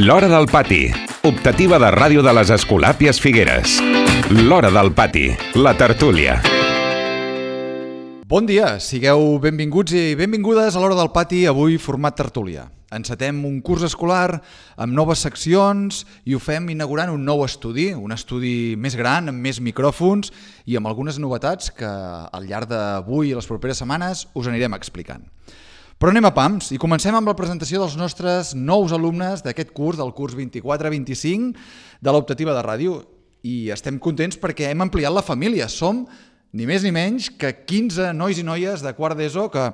L'Hora del Pati, optativa de ràdio de les Escolàpies Figueres. L'Hora del Pati, la tertúlia. Bon dia, sigueu benvinguts i benvingudes a l'Hora del Pati, avui format tertúlia. Encetem un curs escolar amb noves seccions i ho fem inaugurant un nou estudi, un estudi més gran, amb més micròfons i amb algunes novetats que al llarg d'avui i les properes setmanes us anirem explicant. Però anem a pams i comencem amb la presentació dels nostres nous alumnes d'aquest curs, del curs 24-25 de l'optativa de ràdio. I estem contents perquè hem ampliat la família. Som ni més ni menys que 15 nois i noies de quart d'ESO que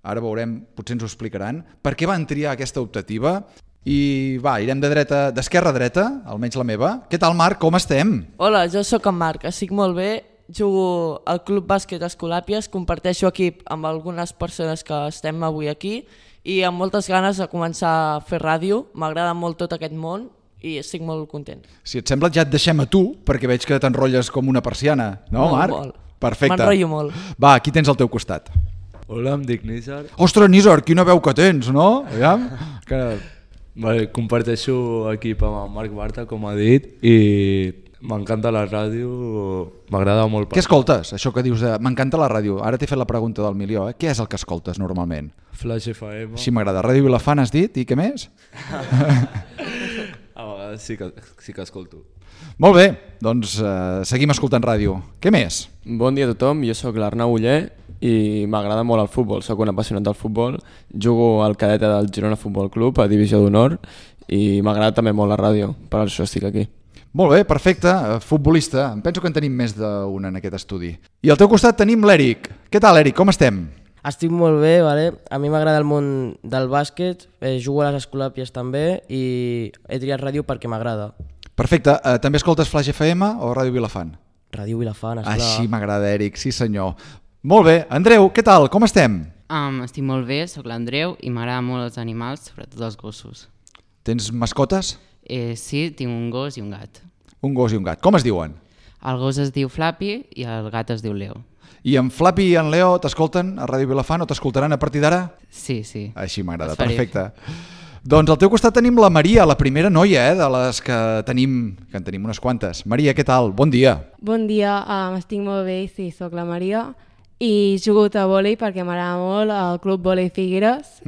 ara veurem, potser ens ho explicaran, per què van triar aquesta optativa. I va, irem d'esquerra a dreta, almenys la meva. Què tal, Marc? Com estem? Hola, jo sóc en Marc, estic molt bé. Jugo al Club Bàsquet Escolàpies, comparteixo equip amb algunes persones que estem avui aquí i amb moltes ganes de començar a fer ràdio. M'agrada molt tot aquest món i estic molt content. Si et sembla, ja et deixem a tu, perquè veig que t'enrotlles com una persiana. No, molt, Marc? Molt. Perfecte. M'enrotllo molt. Va, qui tens al teu costat? Hola, em dic Nízar. Ostres, Nízar, quina veu que tens, no? Aviam. Vale, comparteixo equip amb Marc Barta, com ha dit, i m'encanta la ràdio, m'agrada molt. Què escoltes? Això que dius de m'encanta la ràdio. Ara t'he fet la pregunta del milió. Què és el que escoltes normalment? Flash FM. Així m'agrada. Ràdio Vilafant has dit? I què més? A vegades sí que escolto. Molt bé, doncs seguim escoltant ràdio. Què més? Bon dia a tothom, jo sóc l'Arnau Uller i m'agrada molt el futbol, sóc un apassionat del futbol, jugo al cadete del Girona Futbol Club a Divisió d'Honor i m'agrada també molt la ràdio, per això estic aquí. Molt bé, perfecte, futbolista. Em penso que en tenim més d'un en aquest estudi. I al teu costat tenim l'Eric. Què tal, Eric? Com estem? Estic molt bé, vale? A mi m'agrada el món del bàsquet, jugo a les Escolàpies també i he triat ràdio perquè m'agrada. Perfecte. També escoltes Flash FM o Ràdio Vilafant? Ràdio Vilafant, esclar. Així m'agrada, Eric, sí senyor. Molt bé. Andreu, què tal? Com estem? Estic molt bé, sóc l'Andreu i m'agrada molt els animals, sobretot els gossos. Tens mascotes? Sí, tinc un gos i un gat. Un gos i un gat. Com es diuen? El gos es diu Flappy i el gat es diu Leo. I en Flappy i en Leo t'escolten a Ràdio Vilafant o t'escoltaran a partir d'ara? Sí, sí. Així m'agrada, perfecte. Doncs al teu costat tenim la Maria, la primera noia de les que en tenim unes quantes. Maria, què tal? Bon dia. Bon dia, estic molt bé, sí, sóc la Maria i jugo a vòlei perquè m'agrada molt el Club Vòlei Figueres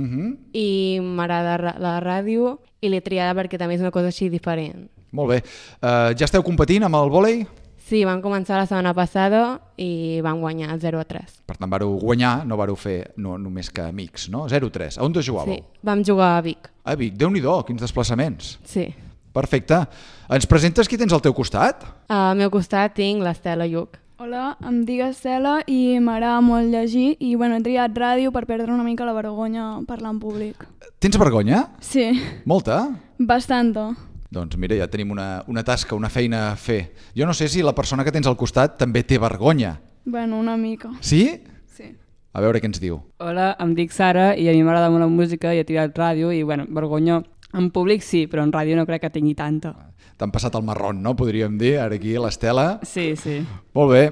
i m'agrada la ràdio i l'he triada perquè també és una cosa així diferent. Molt bé. Ja esteu competint amb el vòlei? Sí, vam començar la setmana passada i vam guanyar 0-3. Per tant, vareu guanyar, no vareu fer només que amics, no? 0-3. A on jugàveu? Sí, vam jugar a Vic. A Vic, Déu-n'hi-do, quins desplaçaments. Sí. Perfecte. Ens presentes qui tens al teu costat? Al meu costat tinc l'Estela Lluc. Hola, em dic Estela i m'agrada molt llegir i he triat ràdio per perdre una mica la vergonya parlar en públic. Tens vergonya? Sí. Molta? Bastanta. Doncs mira, ja tenim una tasca, una feina a fer. Jo no sé si la persona que tens al costat també té vergonya. Bueno, una mica. Sí? Sí. A veure què ens diu. Hola, em dic Sara i a mi m'agrada molt la música i he tirat ràdio i vergonya en públic sí, però en ràdio no crec que tingui tanta. T'han passat el marrón, no? Podríem dir, ara aquí, l'Estela. Sí, sí. Molt bé.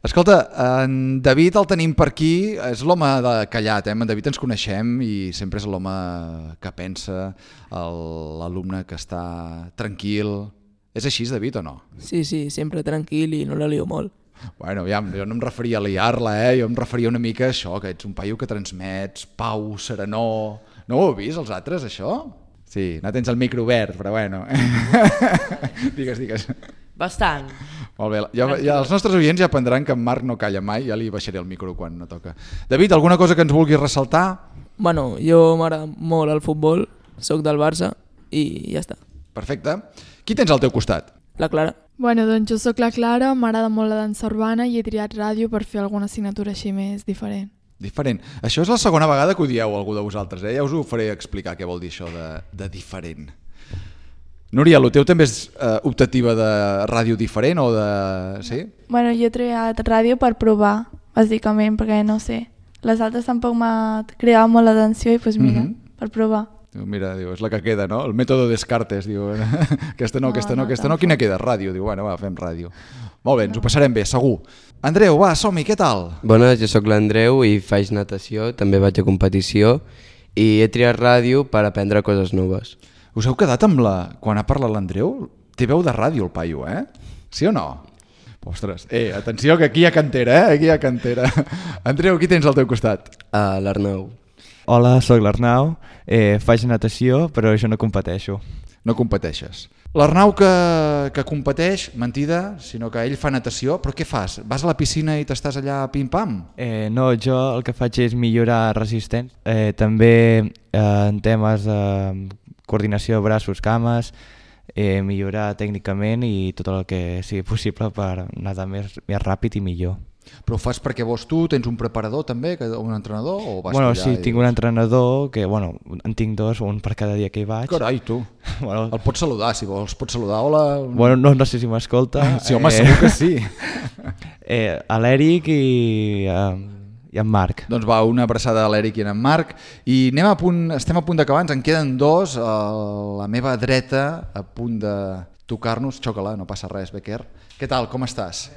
Escolta, en David el tenim per aquí, és l'home de callat, En David ens coneixem i sempre és l'home que pensa, l'alumne que està tranquil. És així, David, o no? Sí, sempre tranquil i no la lio molt. Bueno, ja, jo no em referia a liar-la, jo em referia una mica a això, que ets un paio que transmets pau, serenor. No ho heu vist, els altres, això? Sí, no tens el micro obert, però bueno. Digues. Bastant. Molt bé, ja els nostres oients ja aprendran que en Marc no calla mai, ja li baixaré el micro quan no toca. David, alguna cosa que ens vulguis ressaltar? Bueno, jo m'agrada molt el futbol, sóc del Barça i ja està. Perfecte. Qui tens al teu costat? La Clara. Bueno, doncs jo sóc la Clara, m'agrada molt la dansa urbana i he triat ràdio per fer alguna assignatura així més diferent. Diferent. Això és la segona vegada que ho dieu algú de vosaltres, Ja us ho faré explicar què vol dir això de diferent. Núria, el teu també és optativa de ràdio diferent o de... Sí? Bueno, jo he triat ràdio per provar, bàsicament, perquè no sé. Les altres tampoc m'ha cridat molt l'atenció i doncs mira, per provar. Mira, diu, és la que queda, no? El mètode Descartes, diu, aquesta no, quina queda? Ràdio, diu, bueno, va, fem ràdio. Molt bé, ens ho passarem bé, segur. Andreu, va, som-hi, què tal? Bona, jo sóc l'Andreu i faig natació, també vaig a competició i he triat ràdio per aprendre coses noves. Us heu quedat amb quan ha parlat l'Andreu? Té veu de ràdio el paio, Sí o no? Ostres, atenció que aquí hi ha cantera, Aquí hi ha cantera. Andreu, qui tens al teu costat? L'Arnau. Hola, sóc l'Arnau, faig natació, però jo no competeixo. No competeixes. L'Arnau que competeix, mentida, sinó que ell fa natació, però què fas? Vas a la piscina i t'estàs allà pim-pam? No, jo el que faig és millorar resistència, també en temes de coordinació de braços, cames, millorar tècnicament i tot el que sigui possible per nedar més ràpid i millor. Però ho fas perquè vols tu? Tens un preparador també, un entrenador? O vas sí, tinc un entrenador que, en tinc dos, un per cada dia que hi vaig. Carai, tu. El pots saludar, si vols. Pots saludar, hola. No sé si m'escolta. Sí, home, segur que sí. A l'Eric i en Marc. Doncs va, una abraçada a l'Eric i en Marc. I estem a punt d'acabar, ens en queden dos. A la meva dreta, a punt de tocar-nos. Xoca-la, no passa res, Becker. Què tal, com estàs?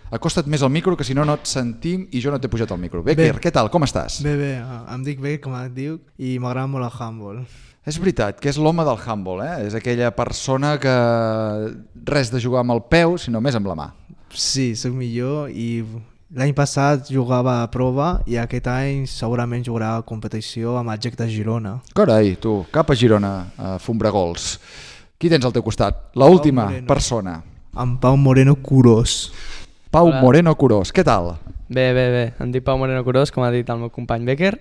Acosta't més al micro, que si no et sentim i jo no t'he pujat al micro. Becker, què tal, com estàs? Bé, em dic Becker, com et diu, i m'agrada molt el handball. És veritat que és l'home del handball, És aquella persona que res de jugar amb el peu, sinó més amb la mà. Sí, soc millor i l'any passat jugava a prova i aquest any segurament jugarà a competició amb el GEC de Girona. Carai, tu, cap a Girona, a Fumbregols. Qui tens al teu costat? L'última persona. En Pau Moreno Curós. Pau Moreno Curós, què tal? Bé, em dic Pau Moreno Curós, com ha dit el meu company Becker,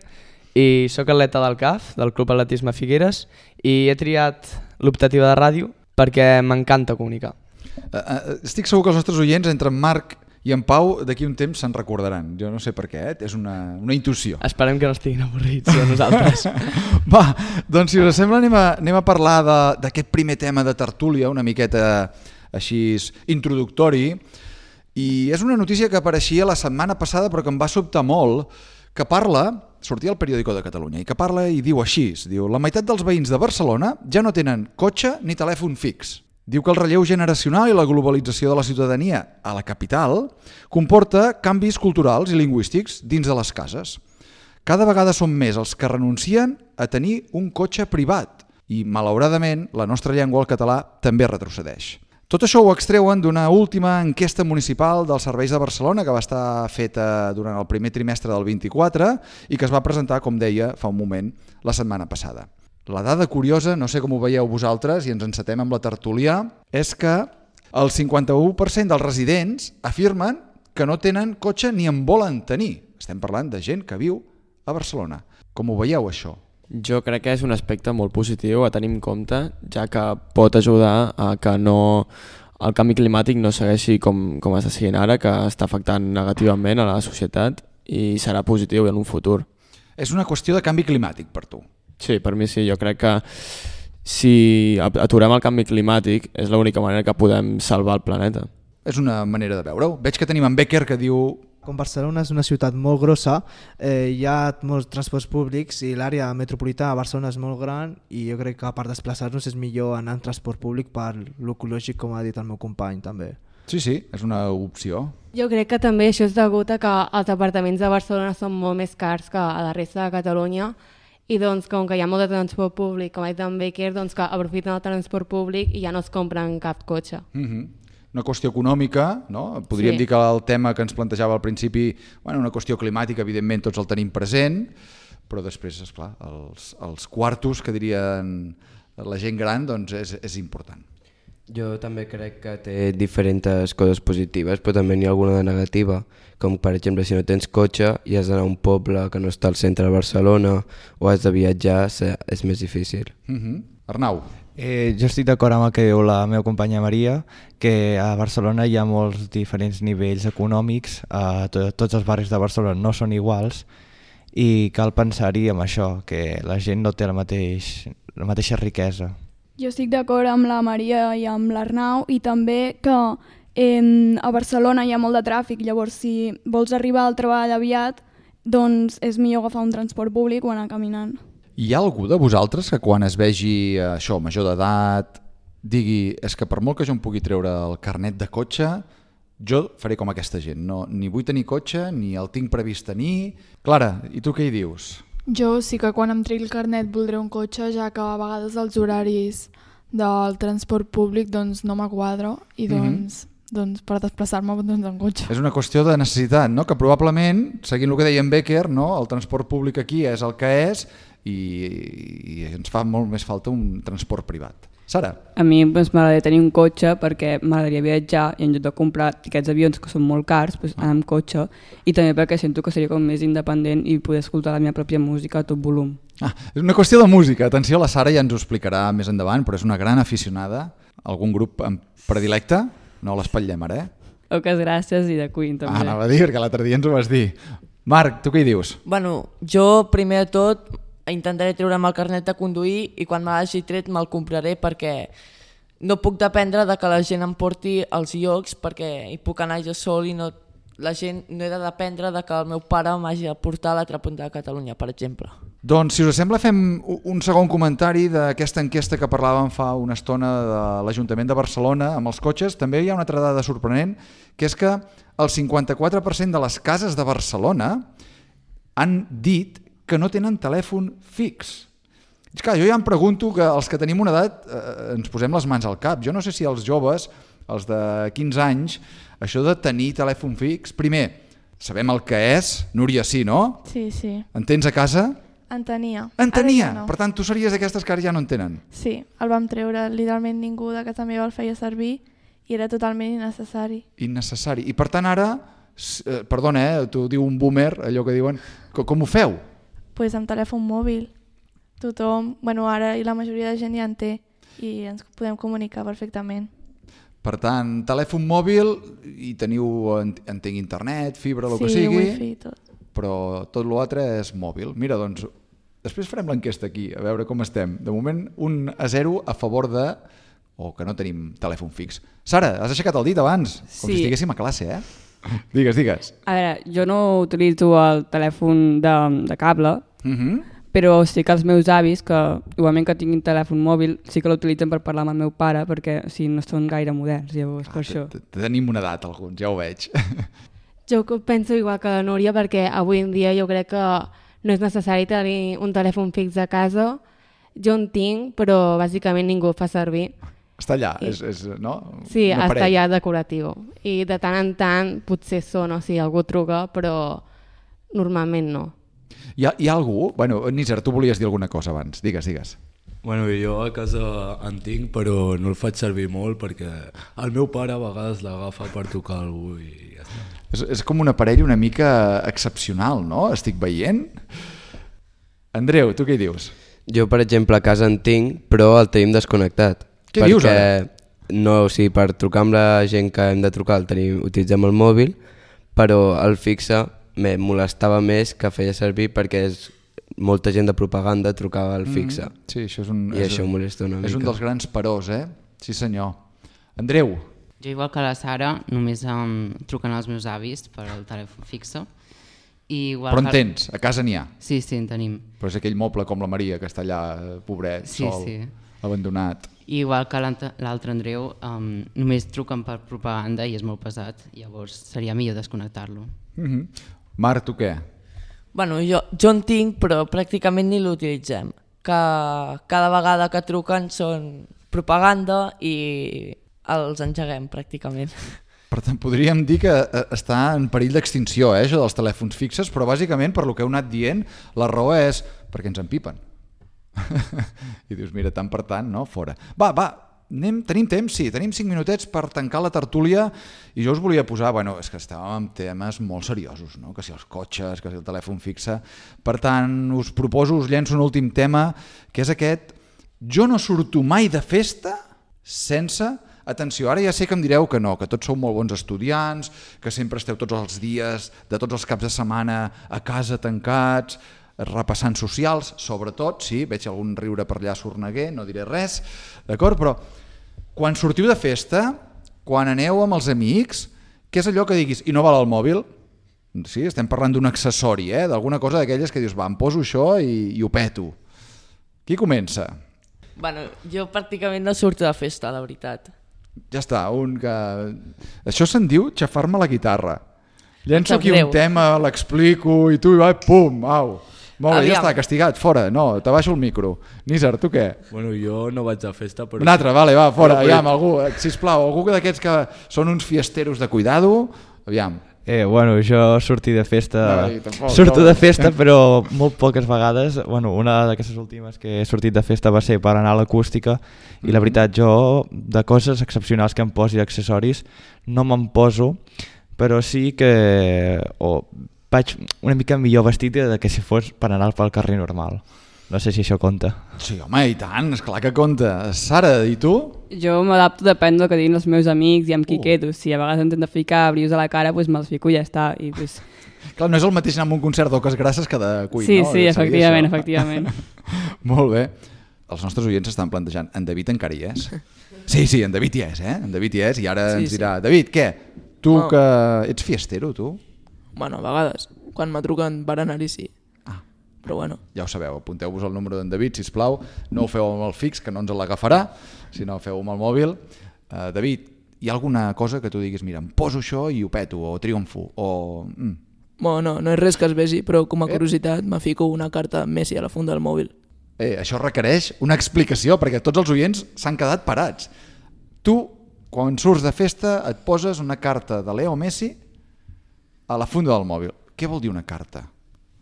i sóc atleta del CAF, del Club Atletisme Figueres, i he triat l'optativa de ràdio perquè m'encanta comunicar. Estic segur que els nostres oients, entre en Marc i en Pau, d'aquí un temps se'n recordaran. Jo no sé per què, és una intuïció. Esperem que no estiguin avorrits de nosaltres. Va, doncs si us sembla anem a parlar d'aquest primer tema de tertúlia, una miqueta així introductori. I és una notícia que apareixia la setmana passada però que em va sobtar molt, que sortia al Periódico de Catalunya, i que parla i diu així, diu: la meitat dels veïns de Barcelona ja no tenen cotxe ni telèfon fix. Diu que el relleu generacional i la globalització de la ciutadania a la capital comporta canvis culturals i lingüístics dins de les cases. Cada vegada són més els que renuncien a tenir un cotxe privat i, malauradament, la nostra llengua, el català, també retrocedeix. Tot això ho extreuen d'una última enquesta municipal dels serveis de Barcelona que va estar feta durant el primer trimestre del 24 i que es va presentar, com deia, fa un moment, la setmana passada. La dada curiosa, no sé com ho veieu vosaltres i ens encetem amb la tertúlia, és que el 51% dels residents afirmen que no tenen cotxe ni en volen tenir. Estem parlant de gent que viu a Barcelona. Com ho veieu, això? Jo crec que és un aspecte molt positiu a tenir en compte, ja que pot ajudar a que el canvi climàtic no segueixi com està seguint ara, que està afectant negativament a la societat i serà positiu en un futur. És una qüestió de canvi climàtic per tu? Sí, per mi sí. Jo crec que si aturem el canvi climàtic és l'única manera que podem salvar el planeta. És una manera de veure-ho. Veig que tenim en Becker que diu... Com Barcelona és una ciutat molt grossa, hi ha molts transports públics i l'àrea metropolitana de Barcelona és molt gran i jo crec que per desplaçar-nos és millor anar en transport públic per l'ecològic, com ha dit el meu company també. Sí, és una opció. Jo crec que també això és degut a que els apartaments de Barcelona són molt més cars que a la resta de Catalunya i doncs com que hi ha molt de transport públic, com ha dit en Becker, doncs que aprofiten el transport públic i ja no es compren cap cotxe. Una qüestió econòmica, no? Podríem dir que el tema que ens plantejava al principi, una qüestió climàtica, evidentment tots el tenim present, però després, esclar, els quartos que dirien la gent gran, doncs és important. Jo també crec que té diferents coses positives, però també n'hi ha alguna de negativa, com per exemple si no tens cotxe i has d'anar a un poble que no està al centre de Barcelona o has de viatjar, és més difícil. Arnau. Jo estic d'acord amb el que diu la meva companya Maria, que a Barcelona hi ha molts diferents nivells econòmics, tots els barris de Barcelona no són iguals i cal pensar-hi amb això, que la gent no té la mateixa riquesa. Jo estic d'acord amb la Maria i amb l'Arnau i també que a Barcelona hi ha molt de tràfic, llavors si vols arribar al treball aviat, doncs és millor agafar un transport públic o anar caminant. Hi ha algú de vosaltres que quan es vegi això, major d'edat, digui és que per molt que jo em pugui treure el carnet de cotxe, jo faré com aquesta gent, ni vull tenir cotxe, ni el tinc previst tenir... Clara, i tu què hi dius? Jo sí que quan em tregui el carnet voldré un cotxe, ja que a vegades els horaris del transport públic doncs, no m'aquadro i doncs per desplaçar-me en cotxe. És una qüestió de necessitat, no? Que probablement, seguint el que deia en Becker, no? El transport públic aquí és el que és i ens fa molt més falta un transport privat. Sara? A mi m'agradaria tenir un cotxe perquè m'agradaria viatjar i en lloc de comprar tiquets d'avions que són molt cars, anar amb cotxe, i també perquè sento que seria com més independent i poder escoltar la meva pròpia música a tot volum. És una qüestió de música. Atenció, la Sara ja ens ho explicarà més endavant, però és una gran aficionada. Algun grup predilecte? No l'espatllem ara, Poques gràcies i de Queen també. Anava a dir, perquè l'altre dia ens ho vas dir. Marc, tu què hi dius? Bueno, jo primer de tot intentaré treure'm el carnet de conduir i quan me l'hagi tret me'l compraré perquè no puc dependre de que la gent em porti als llocs perquè hi puc anar jo sol i no he de dependre de que el meu pare m'hagi de portar a l'altra punta de Catalunya, per exemple. Doncs, si us sembla, fem un segon comentari d'aquesta enquesta que parlàvem fa una estona de l'Ajuntament de Barcelona amb els cotxes. També hi ha una altra dada sorprenent, que és que el 54% de les cases de Barcelona han dit que no tenen telèfon fix. És clar, jo ja em pregunto que els que tenim una edat ens posem les mans al cap. Jo no sé si els joves, els de 15 anys, això de tenir telèfon fix, primer, sabem el que és, Núria sí, no? Sí, sí. En tens a casa? En tenia. En tenia? No. Per tant, tu series d'aquestes que ara ja no en tenen? Sí, el vam treure, literalment ningú de casa meva el feia servir i era totalment innecessari. Innecessari. I per tant ara, perdona, t'ho diu un boomer, allò que diuen, com ho feu? Pues amb telèfon mòbil. Tothom, ara i la majoria de gent ja en té i ens podem comunicar perfectament. Per tant, telèfon mòbil i teniu, entenc, internet, fibra, el que sigui, wifi, tot. Però tot l'altre és mòbil. Mira, doncs, després farem l'enquesta aquí, a veure com estem. De moment, 1-0 a favor de... o que no tenim telèfon fix. Sara, has aixecat el dit abans, com si estiguéssim a classe, Digues. A veure, jo no utilitzo el telèfon de cable, però sí que els meus avis, que igualment que tinguin telèfon mòbil, sí que l'utilitzen per parlar amb el meu pare, perquè no són gaire moderns, llavors per això. Tenim una edat alguns, ja ho veig. Jo penso igual que la Núria, perquè avui en dia jo crec que no és necessari tenir un telèfon fix a casa. Jo en tinc, però bàsicament ningú el fa servir. Està allà, no? Sí, està allà decoratiu. I de tant en tant potser sona, o sigui, algú truca, però normalment no. Hi ha algú? Bueno, Nízer, tu volies dir alguna cosa abans. Digues. Bueno, jo a casa en tinc, però no el faig servir molt perquè el meu pare a vegades l'agafa per tocar algú i ja està. És com un aparell una mica excepcional, no? Estic veient. Andreu, tu què hi dius? Jo, per exemple, a casa en tinc, però el tenim desconnectat. Què dius ara? No, o sigui, per trucar amb la gent que hem de trucar utilitzem el mòbil, però el fixe me molestava més que feia servir perquè molta gent de propaganda trucava al fixe. Sí, això això molesta una mica. És un dels grans peròs, Sí senyor. Andreu? Jo, igual que la Sara, només truquen als meus avis per al telèfon fixe. Però en tens? A casa n'hi ha? Sí, en tenim. Però és aquell moble com la Maria, que està allà, pobret, sol, abandonat. Igual que l'altre Andreu, només truquen per propaganda i és molt pesat, llavors seria millor desconnectar-lo. Marc, tu què? Bueno, jo en tinc, però pràcticament ni l'utilitzem. Cada vegada que truquen són propaganda i els engeguem pràcticament. Per tant, podríem dir que està en perill d'extinció, això dels telèfons fixes, però bàsicament, per lo que heu anat dient, la raó és perquè ens empipen. I dius, mira, tant per tant, no? Fora. Va, tenim temps? Sí, tenim 5 minutets per tancar la tertúlia i jo us volia posar, és que estàvem amb temes molt seriosos, no? Que si els cotxes, que si el telèfon fixe. Per tant, us proposo, us llenço un últim tema, que és aquest: jo no surto mai de festa sense... Atenció, ara ja sé que em direu que no, que tots sou molt bons estudiants, que sempre esteu tots els dies, de tots els caps de setmana a casa tancats, repassant socials, sobretot, sí, veig algun riure per allà sorneguer, no diré res, d'acord? Però quan sortiu de festa, quan aneu amb els amics, què és allò que diguis, i no val el mòbil? Sí, estem parlant d'un accessori, d'alguna cosa d'aquelles que dius, em poso això i ho peto. Qui comença? Bueno, jo pràcticament no surto de festa, la veritat. Ja està, això se'n diu xafar-me la guitarra. Llenço aquí un tema, l'explico i tu, pum, au. Molt bé, ja està, castigat, fora. No, t'abaixo el micro. Nízar, tu què? Bueno, jo no vaig a festa, però... Un altre, vale, va, fora. Aviam, algú, sisplau, algú d'aquests que són uns fiesteros de cuidado. Aviam. Bueno, jo sortí de festa, tampoc, surto de festa, però molt poques vegades. Bueno, una d'aquestes últimes que he sortit de festa va ser per anar a l'acústica i la veritat jo, de coses excepcionals que em posi accessoris, no me'n poso, però sí que vaig una mica millor vestit que si fos per anar pel carrer normal. No sé si això compta. Sí, home, i tant, esclar que compta. Sara, i tu? Jo m'adapto, depèn del que diguin els meus amics i amb qui quedo. Si a vegades em tenen de ficar brius a la cara, doncs me'ls fico i ja està. I, doncs... Clar, no és el mateix anar a un concert d'Oques Grasses que de Queen, sí, no? Sí, efectivament. Molt bé. Els nostres oients s'estan plantejant, en David encara hi és? Sí, en David hi és, En David hi és, i ara ens dirà, David, què? Tu que ets fiestero, tu? Bueno, a vegades. Quan me truquen per anar-hi, sí. Però bueno. Ja ho sabeu, apunteu-vos el número d'en David, sisplau, no ho feu amb el fix, que no ens l'agafarà, sinó feu amb el mòbil. David, hi ha alguna cosa que tu diguis, mira, em poso això i ho peto, o triomfo, o... Bueno, no és res que es vegi, però com a curiositat me fico una carta Messi a la funda del mòbil. Això requereix una explicació, perquè tots els oients s'han quedat parats. Tu, quan surts de festa, et poses una carta de Leo Messi a la funda del mòbil. Què vol dir una carta?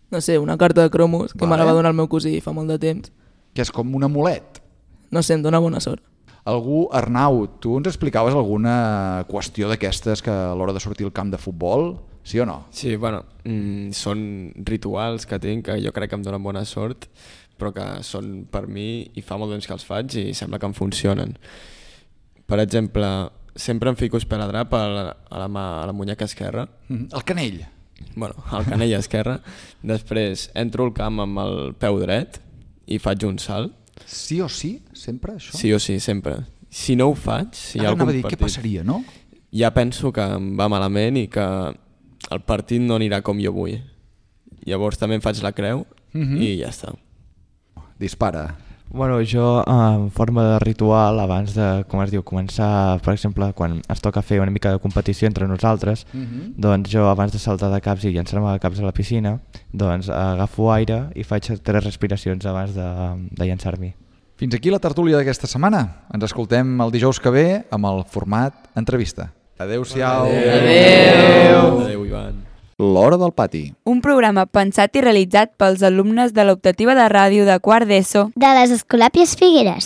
No sé, una carta de cromos que me la va donar el meu cosí fa molt de temps. Que és com un amulet. No sé, em dona bona sort. Algú, Arnau, tu ens explicaves alguna qüestió d'aquestes que a l'hora de sortir al camp de futbol, sí o no? Sí, bueno, són rituals que tinc, que jo crec que em donen bona sort, però que són per mi i fa molt temps que els faig i sembla que em funcionen. Per exemple, sempre em fico esparadrap a la muñeca esquerra. El canell. Bueno, el canell esquerre. Després entro al camp amb el peu dret i faig un salt. Sí o sí? Sempre, això? Sí o sí, sempre. Si no ho faig, si hi ha algun partit... Què passaria, no? Ja penso que em va malament i que el partit no anirà com jo vull. Llavors també em faig la creu i ja està. Dispara. Bueno, jo en forma de ritual, abans de, com es diu, començar, per exemple, quan ens toca fer una mica de competició entre nosaltres, doncs jo abans de saltar de caps i llançar-me de caps a la piscina, doncs agafo aire i faig 3 respiracions abans de llançar-m'hi. Fins aquí la tertúlia d'aquesta setmana. Ens escoltem el dijous que ve amb el format entrevista. Adéu-siau. Adéu, Ivan. L'Hora del Pati. Un programa pensat i realitzat pels alumnes de l'optativa de ràdio de quart d'ESO de les Escolàpies Figueres.